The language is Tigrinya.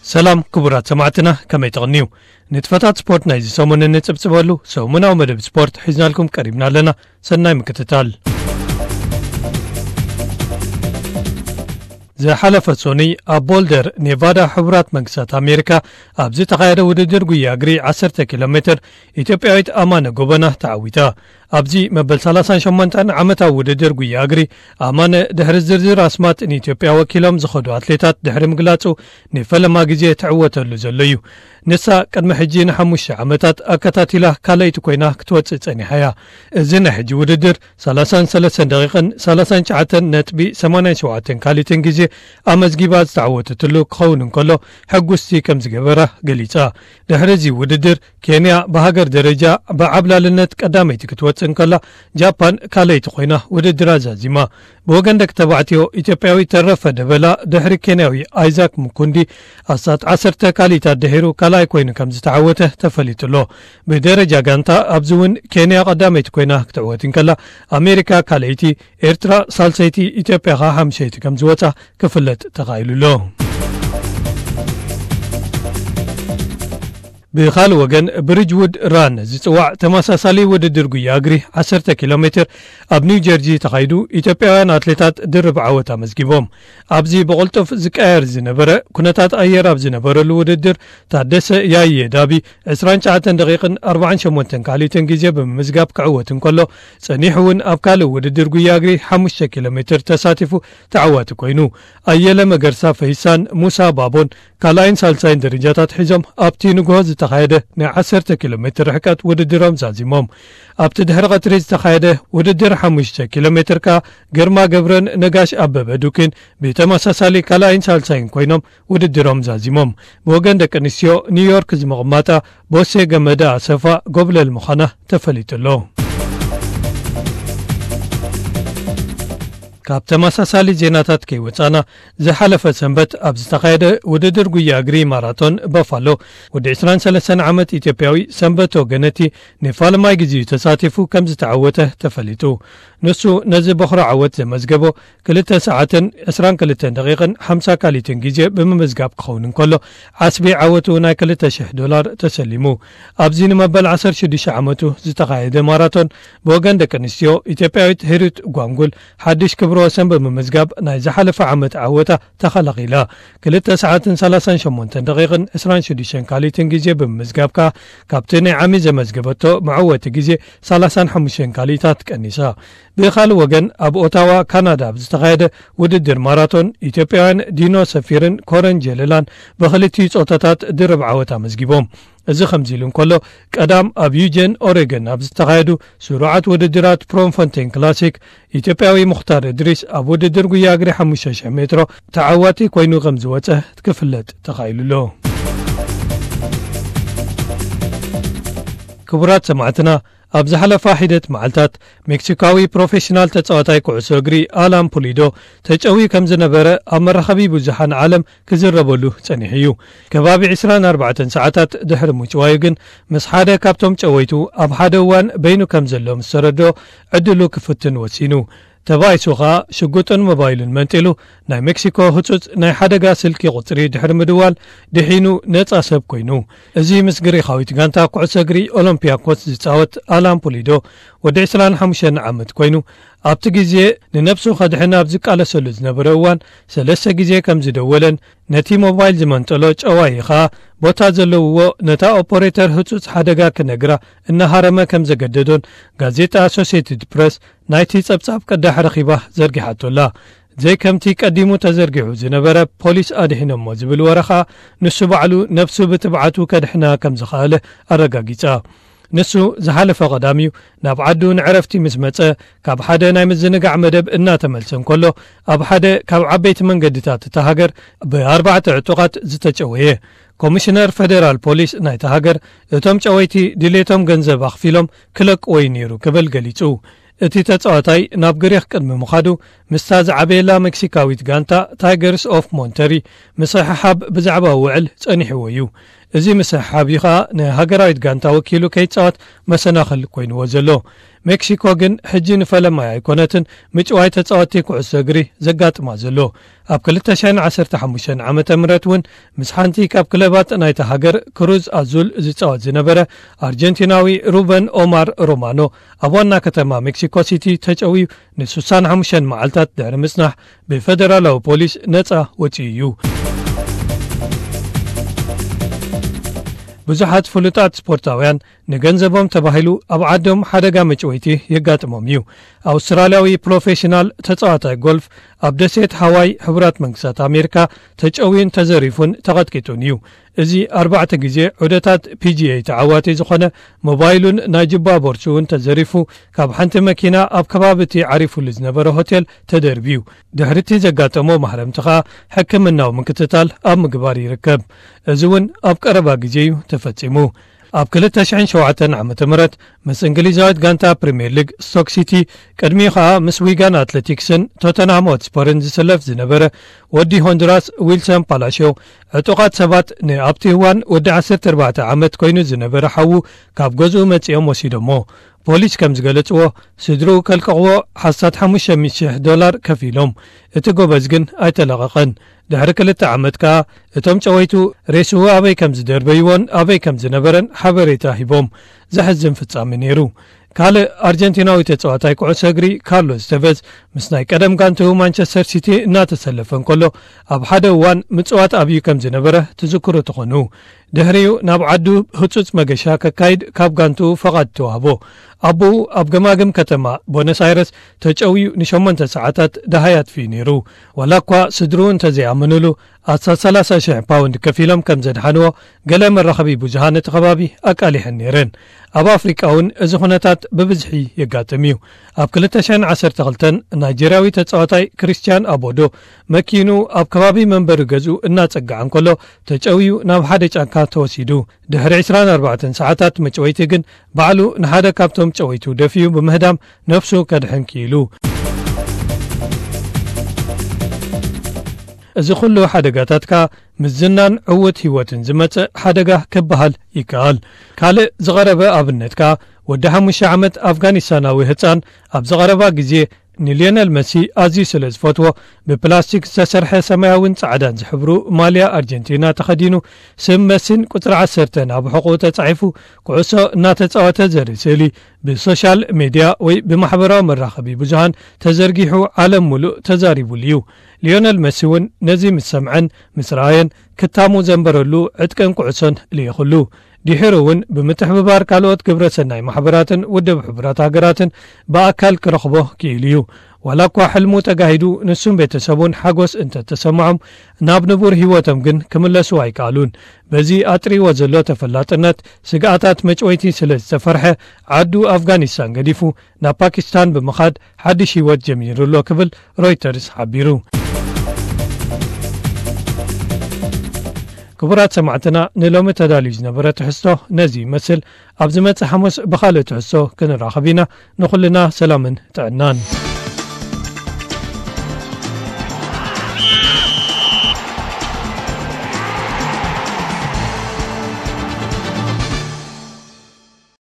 ሰላም ክቡራት ሰማዕትና፣ ከመይ ትቕንዩ? ንጥፈታት ስፖርት ናይዚ ሰሙን እንጽብጽበሉ ሰሙናዊ መደብ ስፖርት ሒዝናልኩም ቀሪብና ኣለና። ሰናይ ምክትታል። ዝሓለፈ ሶኑይ ኣብ ቦልደር ኔቫዳ፣ ሕቡራት መንግስታት ኣሜሪካ፣ ኣብ ዝተኻየደ ውድድር ጉያ እግሪ ዓሰርተ ኪሎ ሜትር፣ ኢትዮጵያዊት ኣማነ ጎበና ተዓዊታ። ኣብዚ መበል ሰላሳን ሸሞንተን ዓመታዊ ውድድር ጉያ እግሪ፣ ኣማነ ድሕሪ ዝርዝር ኣስማት ንኢትዮጵያ ወኪሎም ዝኸዱ ኣትሌታት ድሕሪ ምግላጹ፣ ንፈለማ ግዜ ትዕወተሉ ዘሎ እዩ። ንሳ ቅድሚ ሕጂ ንሓሙሽተ ዓመታት ኣከታቲላ ካልኣይቲ ኮይና ክትወጽእ ጸኒሓ እያ። እዚ ናይ ሕጂ ውድድር ሰላሳን ሰለስተን ደቂቕን ሰላሳን ትሽዓተን ነጥቢ ሰማንያን ሸውዓተን ካሊትን ግዜ ኣመዝጊባ ዝተዓወተትሉ ክኸውን እንከሎ፣ ሕጉስቲ ከም ዝገበራ ገሊጻ። ድሕሪ እዚ ውድድር፣ ኬንያ ብሃገር ደረጃ ብዓብላልነት ቀዳመይቲ ክትወጽእ እንከላ፣ ጃፓን ካልኣይቲ ኮይና ውድድራ ዛዚማ። ብወገን ደቂ ተባዕትዮ፣ ኢትዮጵያዊ ተረፈ ደበላ ድሕሪ ኬንያዊ ኣይዛክ ምኩንዲ ኣስታት ዓሰርተ ካልኢታት ድሒሩ ካልኣይ ኮይኑ ከም ዝተዓወተ ተፈሊጡ ኣሎ። ብደረጃ ጋንታ ኣብዚ እውን ኬንያ ቀዳመይቲ ኮይና ክትዕወት እንከላ፣ ኣሜሪካ ካልኣይቲ፣ ኤርትራ ሳልሰይቲ፣ ኢትዮጵያ ኸኣ ሓምሸይቲ ከም ዝወጻ ክፍለጥ ተኻኢሉ ኣሎ። ብኻልእ ወገን፣ ብሪጅውድ ራን ዝጽዋዕ ተመሳሳሊ ውድድር ጉያ እግሪ ዓሰርተ ኪሎ ሜትር ኣብ ኒው ጀርዚ ተኻይዱ፣ ኢትዮጵያውያን ኣትሌታት ድርብ ዓወት ኣመዝጊቦም። ኣብዚ ብቕልጡፍ ዝቀያየር ዝነበረ፣ ኩነታት ኣየር ኣብ ዝነበረሉ ውድድር፣ ታደሰ ያየ ዳቢ ዕስራን ትሽዓተን ደቂቕን ኣርባዓን ሸሞንተን ካልኢትን ግዜ ብምምዝጋብ ክዕወት እንከሎ፣ ጸኒሑ እውን ኣብ ካልእ ውድድር ጉያ እግሪ ሓሙሽተ ኪሎ ሜትር ተሳቲፉ ተዓዋቲ ኮይኑ። ኣየለ መገርሳ ፈይሳን ሙሳ ባቦን ካልኣይን ሳልሳይን ደረጃታት ሒዞም ኣብቲ ንግሆ ዝተኻየደ ናይ ዓሰርተ ኪሎ ሜትር ርሕቀት ውድድሮም ዛዚሞም። ኣብቲ ድሕሪ ቀትሪ ዝተኻየደ ውድድር ሓሙሽተ ኪሎ ሜትር ከኣ ግርማ ገብረን ነጋሽ ኣበበ ዱኪን ብተመሳሳሊ ካልኣይን ሳልሳይን ኮይኖም ውድድሮም ዛዚሞም። ብወገን ደቂ ኣንስትዮ ኒውዮርክ ዝምቕማጣ ቦሴ ገመዳ ኣሰፋ ጎብለል ምዃና ተፈሊጡ ኣሎ። ካብ ተመሳሳሊ ዜናታት ከይወጻና፣ ዝሓለፈ ሰንበት ኣብ ዝተኻየደ ውድድር ጉያ እግሪ ማራቶን በፋሎ፣ ወዲ ዕስራን ሰለስተን ዓመት ኢትዮጵያዊ ሰንበቶ ገነቲ ንፋልማይ ግዜኡ ተሳቲፉ ከም ዝተዓወተ ተፈሊጡ። ንሱ ነዚ በኹሪ ዓወት ዘመዝገቦ ክልተ ሰዓትን ዕስራን ክልተን ደቂቕን ሓምሳ ካሊትን ግዜ ብምምዝጋብ ክኸውን እንከሎ፣ ዓስቢ ዓወቱ ናይ ክልተ ሽሕ ዶላር ተሰሊሙ። ኣብዚ ንመበል ዓሰርተ ሽዱሽተ ዓመቱ ዝተኻየደ ማራቶን፣ ብወገን ደቂ ኣንስትዮ፣ ኢትዮጵያዊት ሂሩት ጓንጉል ሓድሽ ክብረ ወሰን ብምምዝጋብ፣ ናይ ዝሓለፈ ዓመት ዓወታ ተኸላኺላ። ክልተ ሰዓትን ሰላሳን ሸሞንተን ደቂቕን ዕስራን ሽዱሽተን ካሊትን ግዜ ብምምዝጋብ ከኣ፣ ካብቲ ናይ ዓሚ ዘመዝገበቶ መዕወቲ ግዜ ሰላሳን ሓሙሽተን ካሊታት ቀኒሳ። ብኻልእ ወገን፣ ኣብ ኦታዋ ካናዳ ኣብ ዝተኻየደ ውድድር ማራቶን፣ ኢትዮጵያውያን ዲኖ ሰፊርን ኮረን ጀለላን ብኽልቲኡ ጾታታት ድርብ ዓወት ኣመዝጊቦም። እዚ ከምዚ ኢሉ እንከሎ፣ ቀዳም ኣብ ዩጀን ኦሬገን ኣብ ዝተኻየዱ ስሩዓት ውድድራት ፕሮምፎንቴን ክላሲክ፣ ኢትዮጵያዊ ሙኽታር እድሪስ ኣብ ውድድር ጉያ እግሪ ሓሙሽተ ሽሕ ሜትሮ ተዓዋቲ ኮይኑ ከም ዝወጸ ክፍለጥ ተኻኢሉ ኣሎ። ክቡራት ሰማዕትና፣ ኣብ ዝሓለፋ ሒደት መዓልታት፣ ሜክሲካዊ ፕሮፌሽናል ተጻዋታይ ኩዕሶ እግሪ ኣላን ፑሊዶ ተጨውዩ ከም ዝነበረ ኣብ መራኸቢ ብዙሓን ዓለም ክዝረበሉ ጸኒሑ እዩ። ከባቢ ዕስራን ኣርባዕተን ሰዓታት ድሕሪ ምጭዋዩ ግን፣ ምስ ሓደ ካብቶም ጨወይቱ ኣብ ሓደ እዋን በይኑ ከም ዘሎ ምስ ተረድኦ፣ ዕድሉ ክፍትን ወሲኑ። ተባኢሱ ኸኣ፣ ሽጉጥን ሞባይሉን መንጢሉ፣ ናይ ሜክሲኮ ህጹጽ ናይ ሓደጋ ስልኪ ቁጽሪ ድሕሪ ምድዋል፣ ድሒኑ ነጻ ሰብ ኮይኑ። እዚ ምስ ግሪኻዊት ጋንታ ኩዕሶ እግሪ ኦሎምፒያኮስ ዝጻወት ኣላን ፑሊዶ፣ ወዲ ዕስራን ሓሙሽተን ዓመት ኮይኑ፣ ኣብቲ ግዜ ንነብሱ ከድሕን ኣብ ዝቃለሰሉ ዝነበረ እዋን፣ ሰለስተ ግዜ ከም ዝደወለን፣ ነቲ ሞባይል ዝመንጠሎ ጨዋዪ ኸኣ፣ ቦታ ዘለውዎ ነታ ኦፖሬተር ህጹጽ ሓደጋ ክነግራ እናሃረመ ከም ዘገደዶን፣ ጋዜጣ ኣሶሴትድ ፕረስ ናይቲ ጸብጻብ ቅዳሕ ረኺባ ዘርጊሓቶ ኣላ። ዘይከምቲ ቀዲሙ ተዘርጊሑ ዝነበረ፣ ፖሊስ ኣድሒኖሞ ዝብል ወረ ኸኣ፣ ንሱ ባዕሉ ነብሱ ብትብዓቱ ከድሕና ከም ዝኸኣለ ኣረጋጊጻ። ንሱ ዝሓለፈ ቀዳም እዩ ናብ ዓዱ ንዕረፍቲ ምስ መጸ፣ ካብ ሓደ ናይ ምዝንጋዕ መደብ እናተመልሰ እንከሎ፣ ኣብ ሓደ ካብ ዓበይቲ መንገድታት እታ ሃገር ብኣርባዕተ ዕጡቓት ዝተጨወየ። ኮሚሽነር ፈደራል ፖሊስ ናይታ ሃገር፣ እቶም ጨወይቲ ድሌቶም ገንዘብ ኣኽፊሎም ክለቅዎ እዩ ነይሩ ክብል ገሊጹ። እቲ ተጻዋታይ ናብ ግሪኽ ቅድሚ ምኻዱ፣ ምስታ ዝዓበየላ ሜክሲካዊት ጋንታ ታይገርስ ኦፍ ሞንተሪ ምስሕሓብ ብዛዕባ ውዕል ጸኒሕዎ እዩ። እዚ ምስሕሓብ እዩ ኸኣ ንሃገራዊት ጋንታ ወኪሉ ከይጻወት መሰናኽል ኮይንዎ ዘሎ። ሜክሲኮ ግን ሕጂ ንፈለማይ ኣይኮነትን ምጭዋይ ተጻወትቲ ኩዕሶ እግሪ ዘጋጥማ ዘሎ። ኣብ ክልተ ሽሕን ዓሰርተ ሓሙሽተን ዓመተ ምህረት እውን ምስ ሓንቲ ካብ ክለባት ናይታ ሃገር ክሩዝ ኣዙል ዝጻወት ዝነበረ ኣርጀንቲናዊ ሩበን ኦማር ሮማኖ ኣብ ዋና ከተማ ሜክሲኮ ሲቲ ተጨውዩ ንስሳን ሓሙሽተን መዓልታት ድሕሪ ምጽናሕ ብፈደራላዊ ፖሊስ ነጻ ወጺኡ እዩ። ብዙሓት ፍሉጣት ስፖርታውያን ንገንዘቦም ተባሂሉ ኣብ ዓዶም ሓደጋ መጭወይቲ የጋጥሞም እዩ። ኣውስትራልያዊ ፕሮፌሽናል ተጻዋታይ ጎልፍ ኣብ ደሴት ሃዋይ ሕቡራት መንግስታት ኣሜሪካ ተጨውዩን ተዘሪፉን ተቐጥቂጡን እዩ። እዚ ኣርባዕተ ግዜ ዑደታት ፒ ጂ ኤ ተዓዋቲ ዝኾነ ሞባይሉን ናይ ጅባ ቦርሱውን ተዘሪፉ ካብ ሓንቲ መኪና ኣብ ከባቢ እቲ ዓሪፉሉ ዝነበረ ሆቴል ተደርብዩ። ድሕሪ እቲ ዘጋጠሞ ማህረምቲ ኸኣ ሕክምናዊ ምክትታል ኣብ ምግባር ይርከብ። እዚ እውን ኣብ ቀረባ ግዜ እዩ ተፈጺሙ። ኣብ ክልተ ሽሕን ሸውዓተን ዓመተ ምህረት ምስ እንግሊዛዊት ጋንታ ፕሪምየር ሊግ ስቶክ ሲቲ፣ ቅድሚኡ ኸኣ ምስ ዊጋን ኣትሌቲክስን ቶተንሃም ሆትስፐርን ዝስለፍ ዝነበረ ወዲ ሆንዱራስ ዊልሰን ፓላሽዮ፣ ዕጡቓት ሰባት ንኣብቲ እዋን ወዲ ዓሰርተ ኣርባዕተ ዓመት ኮይኑ ዝነበረ ሓዉ ካብ ገዝኡ መጺኦም ወሲዶሞ። ፖሊስ ከም ዝገለጽዎ፣ ስድርኡ ከልቅቕዎ ሓሳት ሓሙሽተ ሚእቲ ሽሕ ዶላር ከፊሎም። እቲ ጎበዝ ግን ኣይተለቐቐን። ድሕሪ ክልተ ዓመት ከኣ እቶም ጨወይቱ ሬስኡ ኣበይ ከም ዝደርበይዎን ኣበይ ከም ዝነበረን ሓበሬታ ሂቦም። ዘሕዝን ፍጻሜ ነይሩ። ካልእ ኣርጀንቲናዊ ተጻዋታይ ኩዕሶ እግሪ ካርሎስ ተቨዝ ምስ ናይ ቀደም ጋንትኡ ማንቸስተር ሲቲ እናተሰለፈ እንከሎ ኣብ ሓደ እዋን ምጽዋት ኣብዩ ከም ዝነበረ ትዝክሩ ትኾኑ። ድሕሪኡ ናብ ዓዱ ህጹጽ መገሻ ከካይድ ካብ ጋንትኡ ፈቓድ ተዋህቦ። ኣቦኡ ኣብ ገማግም ከተማ ቦነስ ኣይረስ ተጨውዩ ንሸሞንተ ሰዓታት ደሃይ ኣጥፊኡ ነይሩ። ዋላ እኳ ስድርኡ እንተዘይኣመኑሉ ኣስታት ሰላሳ ሽሕ ፓውንድ ከፊሎም ከም ዘድሓንዎ ገለ መራኸቢ ብዙሃን እቲ ከባቢ ኣቃሊሐን ነይረን። ኣብ ኣፍሪቃ እውን እዚ ኩነታት ብብዝሒ የጋጥም እዩ። ኣብ ክልተ ሽሕን ዓሰርተ ክልተን ናይጀርያዊ ተጻዋታይ ክርስቲያን ኣቦዶ መኪኑ ኣብ ከባቢ መንበሪ ገዝኡ እናጸግዓ እንከሎ ተጨውዩ ናብ ሓደ ጫካ ተወሲዱ። ድሕሪ ዕስራን ኣርባዕተን ሰዓታት መጭወይቲ ግን ባዕሉ ንሓደ ካብቶም ጨወይቱ ደፊኡ ብምህዳም ነፍሱ ከድሕን ክኢሉ። እዚ ኩሉ ሓደጋታት ከኣ ምስ ዝናን ዕዉት ህይወትን ዝመጽእ ሓደጋ ክበሃል ይከኣል። ካልእ ዝቐረበ ኣብነት ከኣ ወዲ ሓሙሽተ ዓመት ኣፍጋኒስታናዊ ህጻን ኣብ ዝቐረባ ግዜ ንሊዮነል መሲ ኣዝዩ ስለ ዝፈትዎ ብፕላስቲክ ዝተሰርሐ ሰማያውን ጻዕዳን ዝሕብሩ ማልያ ኣርጀንቲና ተኸዲኑ ስም መሲን ቁጽሪ ዓሰርተን ኣብ ሕቑኡ ተጻሒፉ ኩዕሶ እናተጻወተ ዘርኢ ስእሊ ብሶሻል ሜድያ ወይ ብማሕበራዊ መራኸቢ ብዙሃን ተዘርጊሑ ዓለም ሙሉእ ተዛሪቡሉ እዩ። ሊዮነል መሲ እውን ነዚ ምስ ሰምዐን ምስ ረኣየን ክታሙ ዘንበረሉ ዕጥቅን ኩዕሶን ልኢኹሉ። ድሒሩ እውን ብምትሕብባር ካልኦት ግብረ ሰናይ ማሕበራትን ውድብ ሕቡራት ሃገራትን ብኣካል ክረኽቦ ክኢሉ እዩ። ዋላ እኳ ሕልሙ ተጋሂዱ ንሱን ቤተሰቡን ሓጎስ እንተተሰምዖም ናብ ንቡር ህይወቶም ግን ክምለሱ ኣይከኣሉን። በዚ ኣጥሪዎ ዘሎ ተፈላጥነት ስግኣታት መጭወይቲ ስለ ዝተፈርሐ ዓዱ ኣፍጋኒስታን ገዲፉ ናብ ፓኪስታን ብምኻድ ሓድሽ ህይወት ጀሚሩ ኣሎ ክብል ሮይተርስ ሓቢሩ። ክቡራት ሰማዕትና ንሎሚ ተዳልዩ ዝነበረ ትሕዝቶ ነዚ ይመስል። ኣብ ዝመጽእ ሓሙስ ብኻልእ ትሕዝቶ ክንራኸብ ኢና። ንኹልና ሰላምን ጥዕናን።